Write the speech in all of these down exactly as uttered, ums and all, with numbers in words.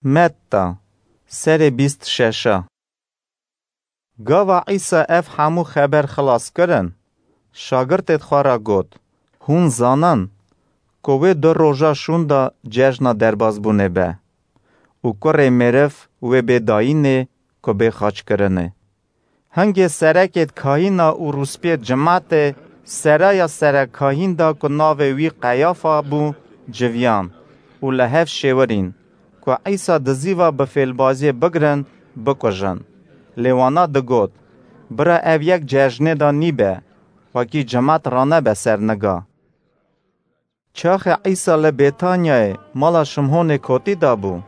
Metta, serê bîst şeş a. Gava Îsa ev hemû xeber xilas kirin, şagirtêd xwe re got, Hûn zanin ku wê du roja şûnda cejna derbazbûnê be û kurê meriv wê bê dayînê ku bê xaçkirinê. Hingê serekêd kahîna û rûspiyêd cimatê seraya serekkahîn da ku navê wî Qeyafa bû civiyan û li hev şêwirîn ku Îsa dizîva bi fêlbaziyê bigirin, bikujin. Lê wana digot, Bira ev yek cejnê da nîbe, wekî cimat ranebe ser niga. Çaxê Îsa li Bêtanyayê mala Şimhonê kotî dabû,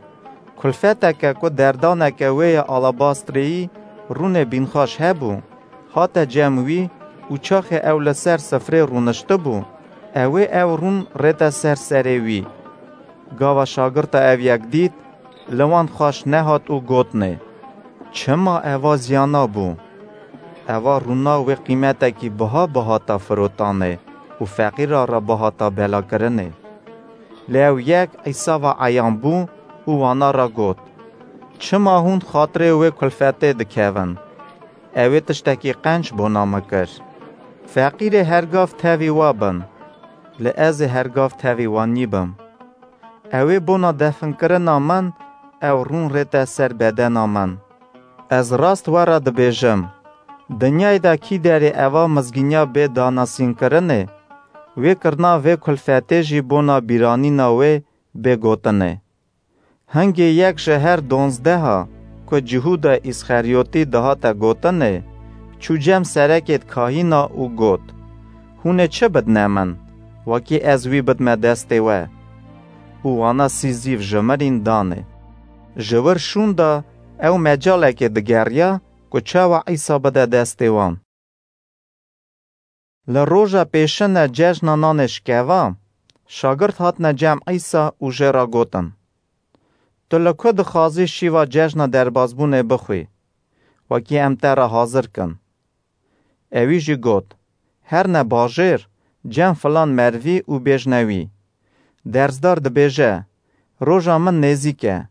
kulfeteke ku derdaneke wê ya alabastreyî rûnê bînxaş hebû, hate cem wî û çaxê ew li ser sifrê rûniştibû, ewê ew rûn rête ser serê wî. Gava şagirta ev yek dît, li wan xweş nehat û gotnê, Çima eva ziyana bû? Eva rûna wê qîmetekî biha bihata firotanê û feqîra re bihata belakirinê. Lê ew yek Îsa ve eyan bû û wana re got, Çima hûn xatirê wê kulfetê dikevin? Ewê tiştekî qenc bona min kir. Feqîrê hergav tevî we bin, lê ez ê hergav tevî we nîbim. Ewê bona definkirina min, ew rûn rête ser bedena min. Ez rast we re dibêjim, dinyayê de kî derê eva mizgîniya bê danasînkirinê, wê kirina vê kulfetê jî bona bîranîna wê bê gotinê. Hingê yek ji her donzdeha ku Cihûda Îsxeryotî dihate gotinê, çû cem serekêd kahîna û got, Hûn ê çi bidne min, wekî ez wî bidme destê we? Û wana sî zîv ji mirîn danê. Ji wir şûnda ew mecalekê digeriya ku çawa Îsa bide destê wan. Li roja pêşine cejna nanê şikeva, şagirt hatine cem Îsa û jê re gotin, Tu li ku dixwazî şîva cejna derbazbûnê bixwî, wekî em te re hazir kin? Ewî jî got, Herne bajêr, cem filan merivî û bêjne wî, Derzdar dibêje, Roja min nêzîk e,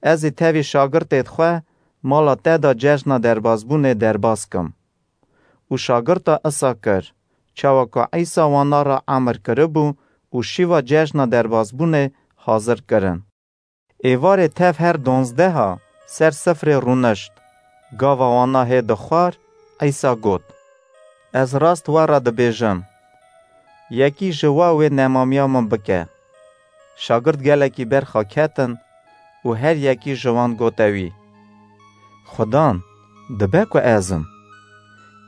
ez ê tevî şagirtêd xwe mala te de cejna derbazbûnê derbaz kim. Û şagirta isa kir, çawa ku Îsa wana re emir kiribû û şîva cejna derbazbûnê hazir kirin. Êvarê tev her donzdeha ser sifrê rûnişt, gava wana hê dixwar, Îsa got, Ez rast we re dibêjim, yekî ji we wê nemamiya min bike. Şagirt gelekî berxa ketin û her yekî ji wan gote wî, Xudan, dibe ku ez im.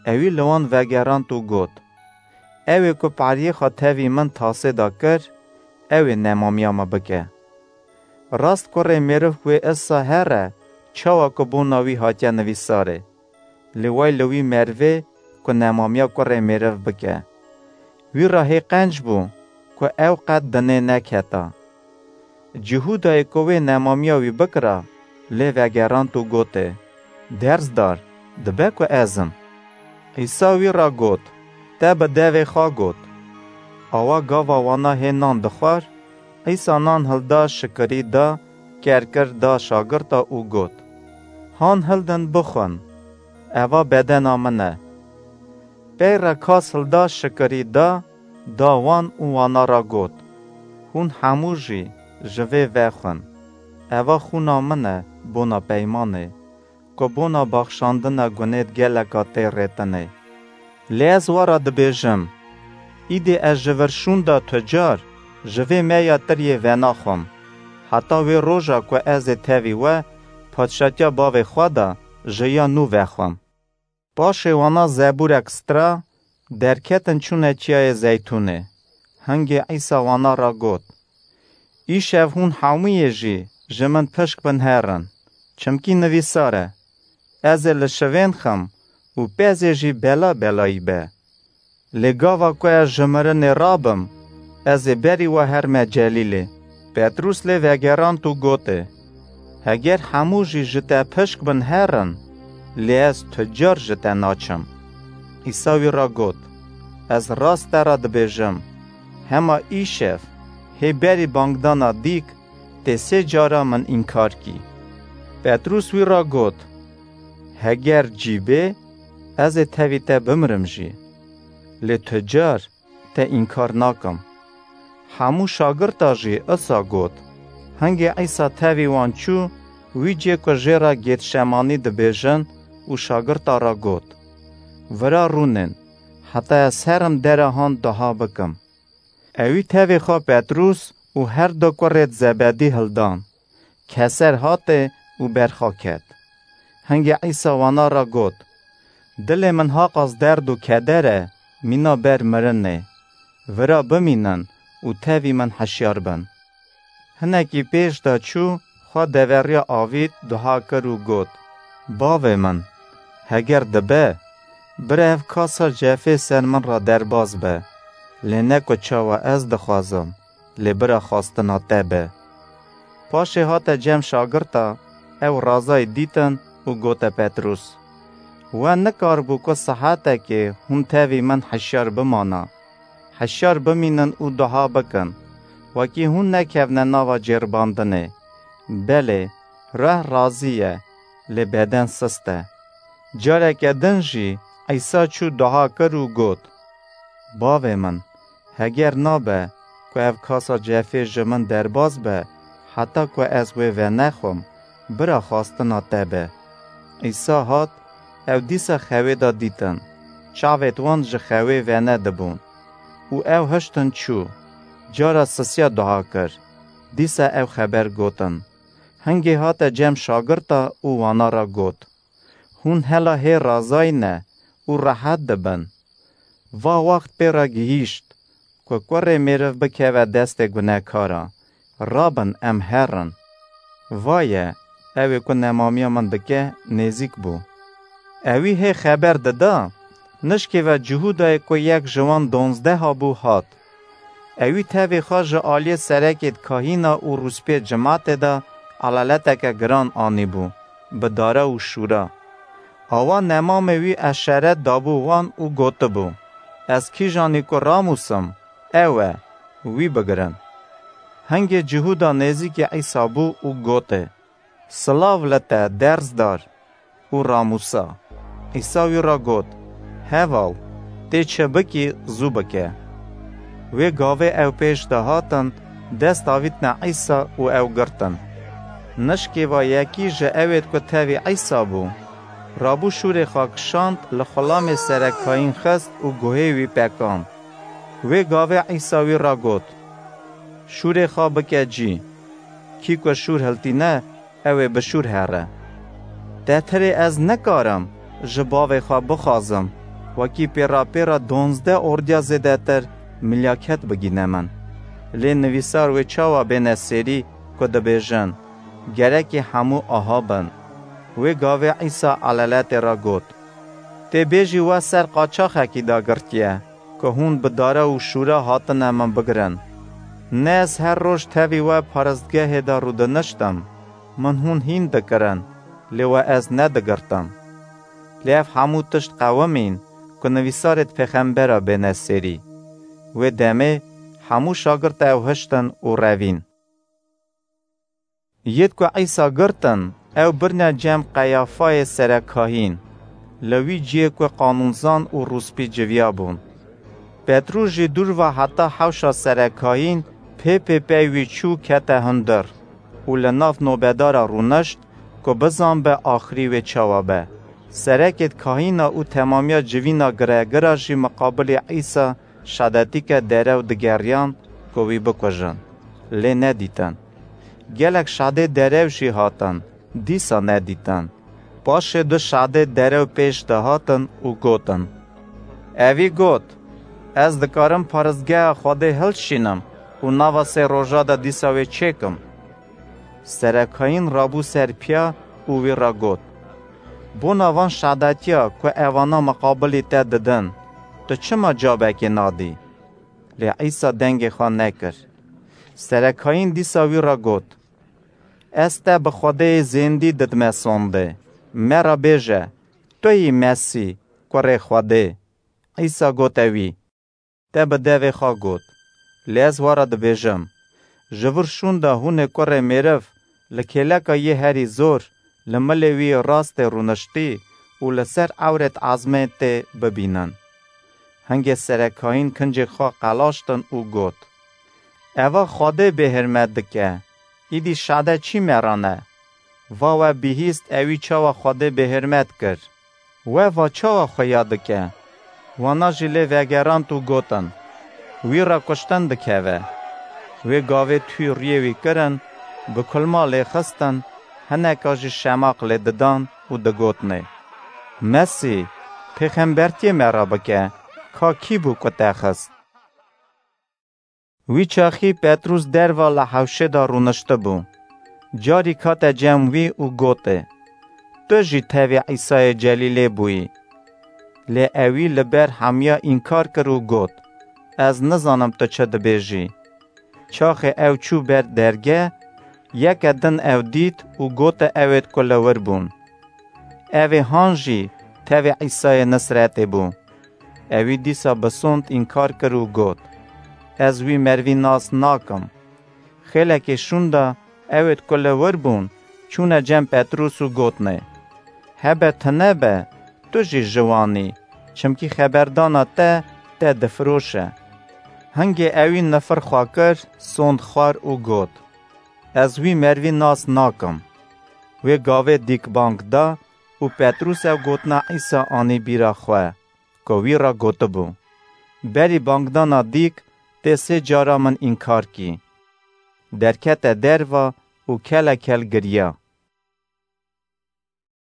Ewî li wan vegerand û got, Ew ê ku pariyê xwe tevî min tasê de kir, ew ê nemamiya me bike. Rast kurê mêriv wê issa here, çawa ku bona wî hatiye nivîsarê. Lê way li wî merivê ku nemamiya kurê mêriv bike. Wî re hê qenc bû ku ew qet dinê neketa. Cihûdayê ku wê nemamiya wî bikira, lê vegerand û gotê, Derzdar, dibe ku ez im. Îsa wî re got, Te bi devê xwe got. Awa gava wana hê nan dixwar, Îsa nan hilda, şikirî da, ker kir, da şagirta û got, Han hildin bixwin, eva bedena min e. Pey re kas hilda, şikirî da, da wan û wana re got, Hûn hemû jî ji vê vexwin. Eva xûna min e bona peymanê, ku bona baxşandina gunêd geleka tê rêtinê. Lê ez we re dibêjim, îdî ez ji vir şûnda tu car ji vê meya tiriyê venaxwim, heta wê roja ku ez ê tevî we padşatiya bavê xwe de ji ya nû vexwim. Paşê wana zebûrek stra, derketin çûne Çiyayê Zeytûnê. Hingê Îsa wana re got, Îşev hûn hemûyê jî ji min pişk bin herin, çimkî nivîsar e, Ez ê li şivên xim û pezê jî bela belayî be. Lê gava ku ez ji mirinê rabim, ez ê berî we herme Celîlê. Petrûs lê vegerand û gotê, Heger hemû jî ji te pişk bin herin, lê ez tu car ji te naçim. Îsa wî re got, Ez rast te re dibêjim, hema îşev, hê berî bangdana dîk, tê sê cara min înkar kî. Petrûs wî ra got, Heger cî bê, ez ê tevî te bimirim jî. Lê tu car te înkar nakim. Hemû şagirta jî isa got. Hingê Îsa tevî wan çû, wî cê ku jê re Gêtşemanî dibêjin û şagirta re got, Vira rûnên, heta ez herim dera han duha bikim. Ewî tevê xwe Petrûs û her du kurêd Zebedî hildan. Keser hatê û berxa ket. Hingê Îsa wana re got, Dilê min haqas derd û keder e, mîna ber mirinê. Vira bimînin û tevî min hişyar bin. Hinekî pêş de çû, xwe deveriya avît, duha kir û got, Bavê min, heger dibe, bira ev kasa cefê ser min re derbas be, lê ne ku çawa ez dixwazim, lê bira xwastina te be. Paşê hate cem şagirta, ew razayî dîtin û gote Petrûs, We nikaribû ku sihetekê hûn tevî min hişyar bimana. Hişyar bimînin û duha bikin, wekî hûn nekevne nava cêribandinê. Belê, ruh razî ye, lê beden sist e. Careke din jî Îsa çû duha kir û got, Bavê min, heger nabe ku ev kasa cefê ji min derbas be, heta ku ez wê venexwim, bira xwastina te be. Îsa hat, ew dîsa xewê de dîtin. Çavêt wan ji xewê venedibûn. Û ew hiştin çû. Cara sisiya duha kir. Dîsa ew xeber gotin. Hingê hate cem şagirta û wana re got, Hûn hela hê razayî ne û rehet dibin. Va wext pê re gihîşt, ku kurê mêriv bikeve destê gunehkaran. Rabin em herin. Vaye, ew ê ku nemamiya min dike, nêzîk bû. Ewî hê xeber dida, nişkê ve Cihûdayê ku yek ji wan donzdeha bû hat. Ewî tevê xwe ji aliyê serekêd kahîna û rûspiyê cimatê de elaleteke giran anîbû, bi dara û şûra. Awa nemamê wî eşeret dabû wan û gotibû, Ez kîjanî ku ramûsim, ew e, wî bigirin. Hingê Cihûda nêzîkî Îsa bû û gotê, Silav li te, derzdar! Û ramûsa. Îsa wî re got, Heval, tê çi bikî, zû bike. Wê gavê ew pêş de hatin, dest avîtine Îsa û ew girtin. Nişkê ve yekî ji ewêd ku tevî Îsa bû, rabû şûrê xwe kişand, li xulamê serekayîn xist û guhê wî pekand. Wê gavê Îsa wî re got, Şûrê xwe bike cî. Kî ku şûr hiltîne, ew ê bi şûr here. Tetirê ez nikarim ji bavê xwe bixwazim, wekî pêra pêra donzdeh ordiya zêdetir milyaket bigîne min. Lê nivîsar wê çawa bêne sêrî ku dibêjin, Gerekê hemû aha bin? Wê gavê Îsa elaletê re got, Tê bêjî we ser qaçaxekî dagirtiye, ku hûn bi dara û şûra hatine min bigirin. Ne ez her roj tevî we paristgehê de rûdiniştim, min hûn hîn dikirin, lê we ez nedigirtim. Lê ev hemû tişt qewimîn, ku nivîsarêd pêxembera bêne sêrî. Wê demê hemû şagirta ew hiştin û revîn. Yêd ku Îsa girtin, ew birine cem Qeyafayê serekkahîn, li wî ciyê ku qanûnzan û rûspî civiyabûn. Petrûs jî dûr ve heta hewşa serekkahîn pê pê pey wî çû kete hundir û li nav nobedara rûnişt ku bizanbe axirî wê çawa be. Serekêd kahîna û temamiya civîna giregira jî miqabilî Îsa şadetîke derew digeriyan ku wî bikujin, lê nedîtin. Gelek şadê derew jî hatin, dîsa nedîtin. Paşê du şadê derew pêş de hatin û gotin, Evî got, Ez dikarim paristgeha Xwedê hilşînim û nava sê roja de dîsa wê çêkim. Serekayîn rabû ser piya û wî re got, Bona van şadetiya ku evana miqabilî te didin, tu çima cabekê nadî? Lê Îsa dengê xwe nekir. Serekayîn dîsa wî re got, Ez te bi Xwedêyê zêndî didime sonde. Me re bêje, tu yî Mesî, Kurê Xwedê? Îsa gote wî, Te bi devê xwe got. Lê ez we re dibêjim, Ji vir şûnda hûnê kurê mêriv li kêleka yê herî zor, li milê wî rastê rûniştî û li ser ewrêt ezmên tê bibînin. Hingê serekayîn kincê xwe qelaştin û got: Eva Xwedê bêhirmet dike, îdî şade çî meran e? Va we bihîst ewî çawa Xwedê bêhirmet kir. We va çawa xuya dike? Wana jî lê vegerand û gotin: Wî re kuştin dikeve. Wê gavê tûy riyê wî kirin, bi kulma lê xistin, hineka jî şemaq lê didan û digotinê: Mesî, pêxembertiyê me re bike, ka kî bû ku te xist? Wî çaxî Petrûs derva li hewşê de rûniştibû. Carî kate cem wî û gotê: Tu jî tevî Îsayê Celîlê bûyî. Lê ewî li ber hemiya înkar kir û got: Ez nizanim tu çi dibêjî. Çaxê ew çû ber dergeh, yeke din ew dît û gote ewêt ku li wir bûn: Evê han jî tevê Îsayê Nisretê bû. Ewî dîsa bi sond înkar kir û got: Ez wî mervî nas nakim. Xêlekê şûnda ewêt ku li wir bûn çûne cem Petrûs û gotnê: Hebe tune be, tu jî ji wan î, çimkî xeberdana te te difiroşe. Hingê ewî nifir xwe kir, sond xwar û got: Ez wî mervî nas nakim. Wê gavê dîk bang da û Petrûs ew gotina Îsa anî bîra xwe, ku wî re gotibû: Berî bangdana dîk tê sê cara min înkar kî. Derkete derva û kele kel giriya.